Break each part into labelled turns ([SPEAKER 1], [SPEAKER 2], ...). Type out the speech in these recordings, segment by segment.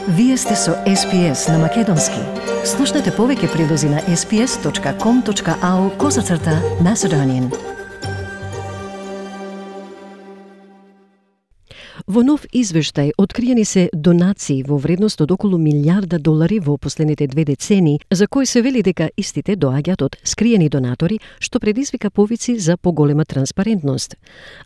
[SPEAKER 1] Вие сте со SPS на Македонски. Слушнете повеќе прилози на sps.com.au/Macedonian. Во нов извештај откриени се донации во вредност од околу $1,000,000 во последните 2 децении, за кои се вели дека истите доаѓаат од скриени донатори, што предизвика повици за поголема транспарентност.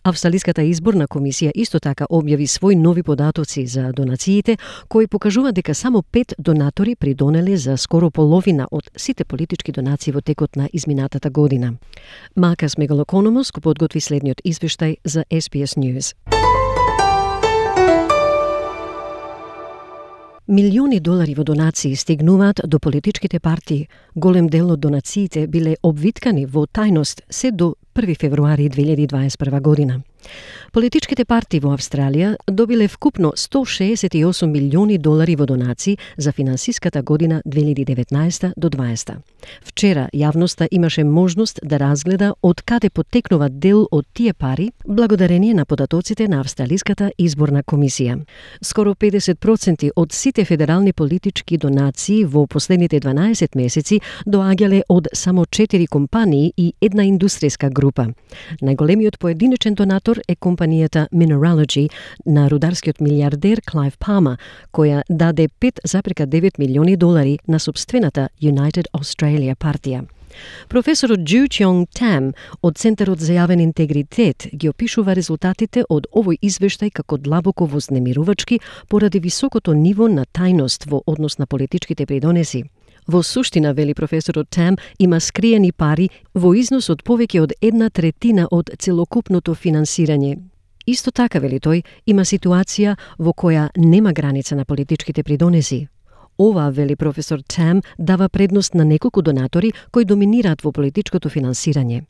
[SPEAKER 1] Австралиската изборна комисија исто така објави свои нови податоци за донациите, кои покажуваат дека само 5 донатори придонеле за скоро половина од сите политички донации во текот на изминатата година. Маркас Мегалокономос го подготви следниот извештај за SPS News. Милиони долари во донации стигнуваат до политичките партии. Голем дел од донациите биле обвиткани во тајност се до 1 февруари 2021 година. Политичките партии во Австралија добиле вкупно $168 милиони во донации за финансиската година 2019 до 2020. Вчера јавноста имаше можност да разгледа од каде потекнува дел од тие пари благодарение на податоците на Австралиската изборна комисија. Скоро 50% од сите федерални политички донации во последните 12 месеци доаѓале од само 4 компании и една индустријска група. Најголемиот поединечен донатор е компанијата Mineralogy на рударскиот милиардер Clive Palmer, која даде $5,9 милиони на собствената United Australia партија. Професорот Ju Cheong Tam од Центарот за јавен интегритет ги опишува резултатите од овој извештај како длабоко вознемирувачки поради високото ниво на тајност во однос на политичките придонеси. Во суштина, вели професорот Там, има скриени пари во износ од повеќе од 1/3 од целокупното финансирање. Исто така, вели тој, има ситуација во која нема граница на политичките придонеси. Ова, вели професор Там, дава предност на неколку донатори кои доминираат во политичкото финансирање.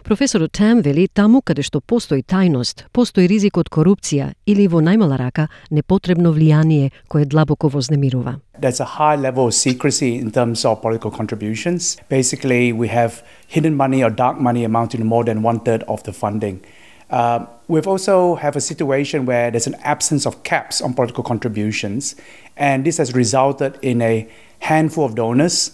[SPEAKER 1] Професорот Там вели таму каде што постои тајност, постои ризик од корупција или во најмала рака непотребно влијание кое длабоко вознемирува.
[SPEAKER 2] There's a high level of secrecy in terms of political contributions. Basically, we have hidden money or dark money amounting to more than 1/3 of the funding. We've also have a situation where there's an absence of caps on political contributions, and this has resulted in a handful of donors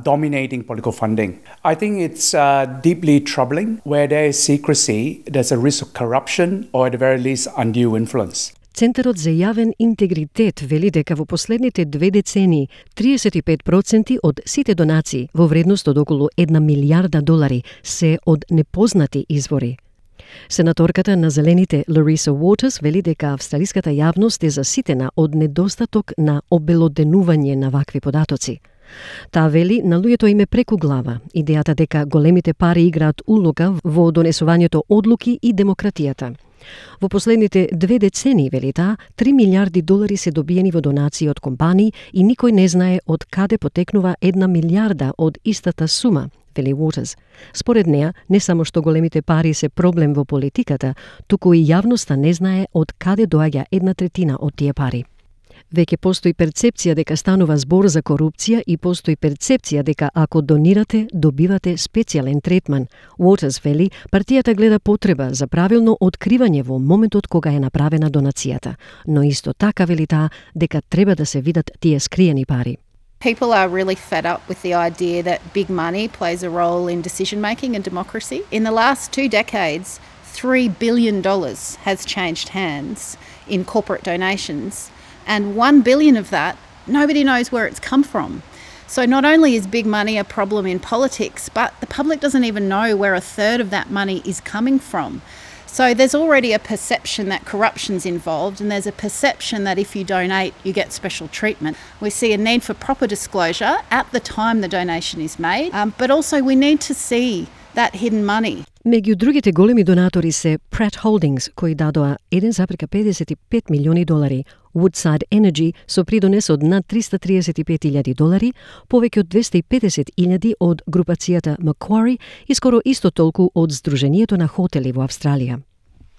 [SPEAKER 2] dominating political funding. I think it's deeply troubling. Where there is secrecy, there's a risk of corruption or at the very least undue influence.
[SPEAKER 1] Центарот за јавен интегритет вели дека во последните 2 децении 35% од сите донации во вредност од околу $1 милијарда се од непознати извори. Сенаторката на Зелените Лариса Уотерс вели дека австралиската јавност е заситена од недостаток на обелоденување на вакви податоци. Таа вели на луѓето им е преку глава идејата дека големите пари играат улога во донесувањето одлуки и демократијата. Во последните 2 децении, вели таа, $3 милијарди се добиени во донации од компании и никој не знае од каде потекнува 1 милијарда од истата сума, вели Уотерс. Според неа, не само што големите пари се проблем во политиката, туку и јавноста не знае од каде доаѓа 1/3 од тие пари. Веќе постои перцепција дека станува збор за корупција и постои перцепција дека ако донирате, добивате специјален третман. Уотерс вели, партијата гледа потреба за правилно откривање во моментот кога е направена донацијата, но исто така вели таа дека треба да се видат тие скриени пари.
[SPEAKER 3] People are really fed up with the idea that big money plays a role in decision making and democracy. In the last 2 decades, $3 billion has changed hands in corporate donations. And $1 billion of that, nobody knows where it's come from. So not only is big money a problem in politics, but the public doesn't even know where 1/3 of that money is coming from. So there's already a perception that corruption's involved, and there's a perception that if you donate, you get special treatment. We see a need for proper disclosure at the time the donation is made, but also we need to see that hidden money.
[SPEAKER 1] Меѓу другите големи донатори се Pratt Holdings, кои дадоа $1,55 милиони, Woodside Energy со придонес од над $335,000, повеќе од $250,000 од групацијата Macquarie и скоро исто толку од Сдруженијето на хотели во Австралија.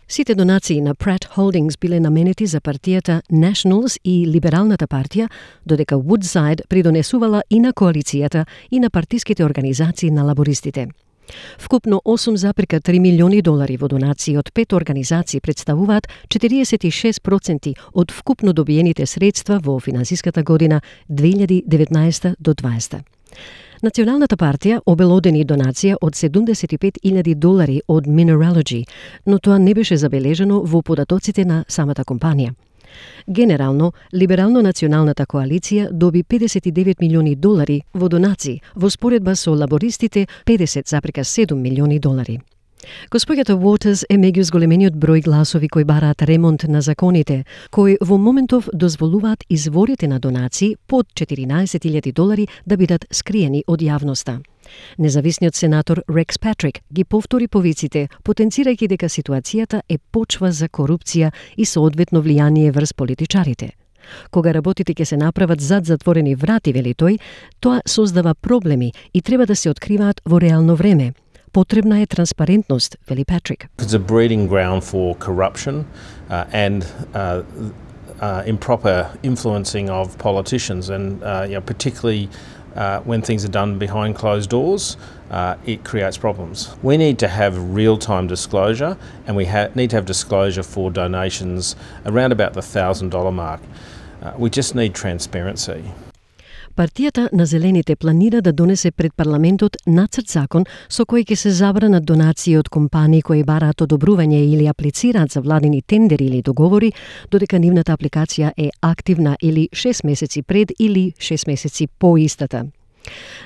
[SPEAKER 1] Сите донации на Pratt Holdings биле наменети за партијата Nationals и Либералната партија, додека Woodside придонесувала и на коалицијата и на партиските организации на лабористите. Вкупно 8,3 милиони долари во донации од 5 организации представуваат 46% од вкупно добиените средства во финансиската година 2019 до 2020. Националната партија обелодени донација од 75.000 долари од Mineralogy, но тоа не беше забележано во податоците на самата компанија. Генерално, Либерално-националната коалиција доби 59 милиони долари во донации, во споредба со лабористите 50,7 милиони долари. Госпоѓата Уотерс е меѓу зголемениот број гласови кои бараат ремонт на законите, кои во моментов дозволуваат изворите на донации под 14.000 долари да бидат скриени од јавноста. Независниот сенатор Рекс Патрик ги повтори повиците, потенцирајќи дека ситуацијата е почва за корупција и соодветно влијание врз политичарите. Кога работите ќе се направат зад затворени врати, вели тој, тоа создава проблеми и треба да се откриваат во реално време. Потребна е транспарентност, вели Патрик.
[SPEAKER 4] It's a breeding ground for corruption and improper influencing of politicians, and particularly when things are done behind closed doors, it creates problems. We need to have real-time disclosure, and we need to have disclosure for donations around about the $1,000 mark. We just need transparency.
[SPEAKER 1] Партијата на Зелените планира да донесе пред парламентот нацрт закон со кој ќе се забранат донации од компании кои бараат одобрување или аплицираат за владини тендери или договори, додека нивната апликација е активна или 6 месеци пред или 6 месеци по истата.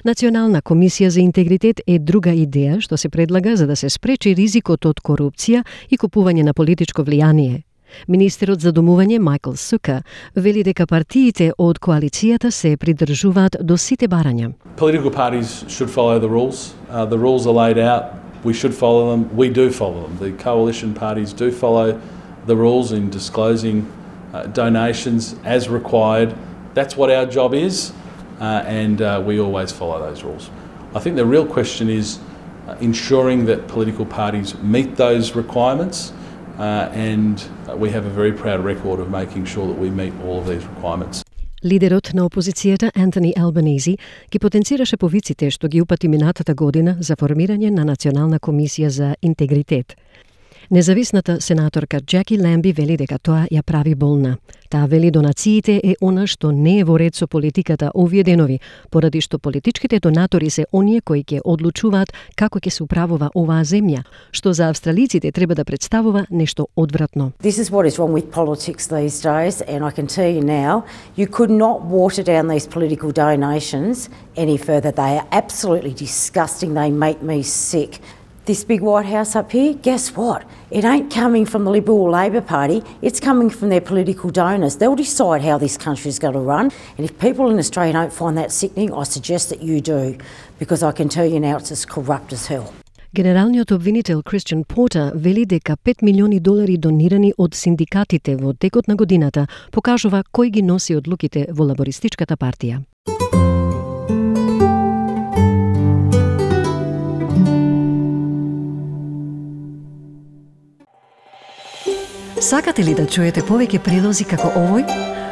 [SPEAKER 1] Национална комисија за интегритет е друга идеја што се предлага за да се спречи ризикот од корупција и купување на политичко влијание. Министерот за домување Майкл Сука вели дека партиите од коалицијата се придржуваат до сите барања.
[SPEAKER 5] Political parties should follow the rules. The rules are laid out. We should follow them. We do follow them. The coalition parties do follow the rules in disclosing donations as required. That's what our job is, and we always follow those rules. I think the real question is ensuring that political parties meet those requirements. And we have a very proud record of making sure that we meet all of these requirements.
[SPEAKER 1] Лидерот на опозицијата Антони Албанези ги потенцираше повиците што ги упати минатата година за формирање на Национална комисија за интегритет. Независната сенаторка Джеки Ламби вели дека тоа ја прави болна. Таа вели донациите е она што не е во ред со политиката овие денови, поради што политичките донатори се оние кои ќе одлучуваат како ќе се управува оваа земја, што за австралиците треба да представува нешто одвратно.
[SPEAKER 6] This is what is wrong with politics these days, and I can tell you now, you could not water down these political donations any further. They are absolutely disgusting. They make me sick. This big White House up here, guess what? It ain't coming from the Liberal or Labor Party, it's coming from their political donors. They'll decide how this country is going to run, and if people in Australia don't find that sickening, I suggest that you do, because I can tell you now it's as corrupt as hell.
[SPEAKER 1] Генералниот обвинител Кристијан Портер вели дека 5 милиони долари донирани од синдикатите во текот на годината покажува кој ги носи одлуките во лабористичката партија. Сакате ли да чуете повеќе прилози како овој?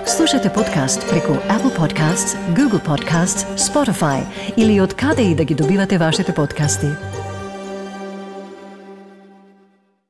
[SPEAKER 1] Слушате подкаст преку Apple Podcasts, Google Podcasts, Spotify или од каде и да ги добивате вашите подкасти.